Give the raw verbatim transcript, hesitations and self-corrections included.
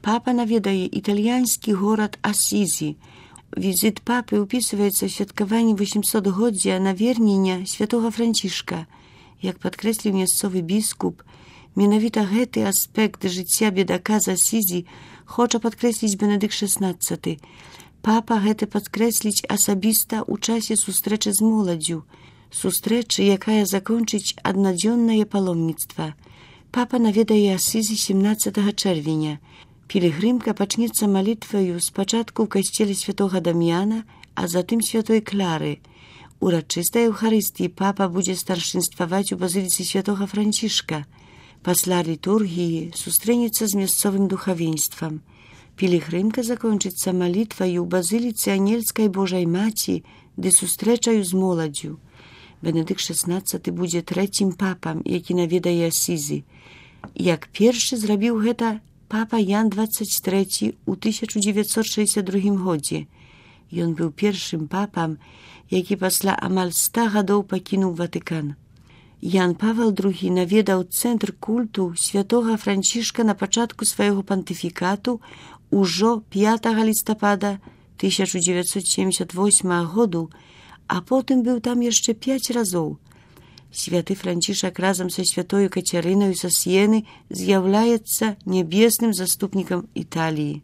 Папа наведае італьянскі горад Асізі. Візит папы ўпісваецца ў святкаванні восьмісотгоддзя навернення святога Францішка. Як падкрэсліў мясцовы біскуп, менавіта гэты аспект жыцця бедака з Асізі хоча падкрэсліць Бенедыкт шаснаццаты. Папа гэта падкрэсліць асабіста ў часе сустрэчы з моладдзю, сустрэчы, якая закончыць аднадзённае паломніцтва. Папа наведае Асізі сямнаццатага чэрвеня. Пілігрымка пачнецца малітваю спачатку ў касцеле святога Дам'яна, а затым святой Клары. Урачыстай Еўхарыстыі папа будзе старшынстваваць у базыліцы святога Францішка. Пасля літургіі сустрэнецца з мясцовым духавенствам. Пілігрымка закончыцца малітваю ў базыліцы Анельскай Божай Маці ды сустрэчаю з моладдзю. Бенедыкт шаснаццаты будзе трэцім папам, які наведае Асізі. Як першы зрабіў гэта папа Ян дваццаць трэці ў тысяча дзевяцьсот шэсцьдзясят другім годзе. Ён быў першым папам, які пасля амаль ста гадоў пакінуў Ватыкан. Ян Павел другі наведаў цэнтр культу святога Францішка на пачатку свайго пантыфікату ўжо пятага лістапада тысяча дзевяцьсот семдзесят восьмага году, а потым быў там яшчэ пяць разоў. Святы Францішак разам са святою Кацярынаю са Сіены з'яўляецца нябесным заступнікам Італіі.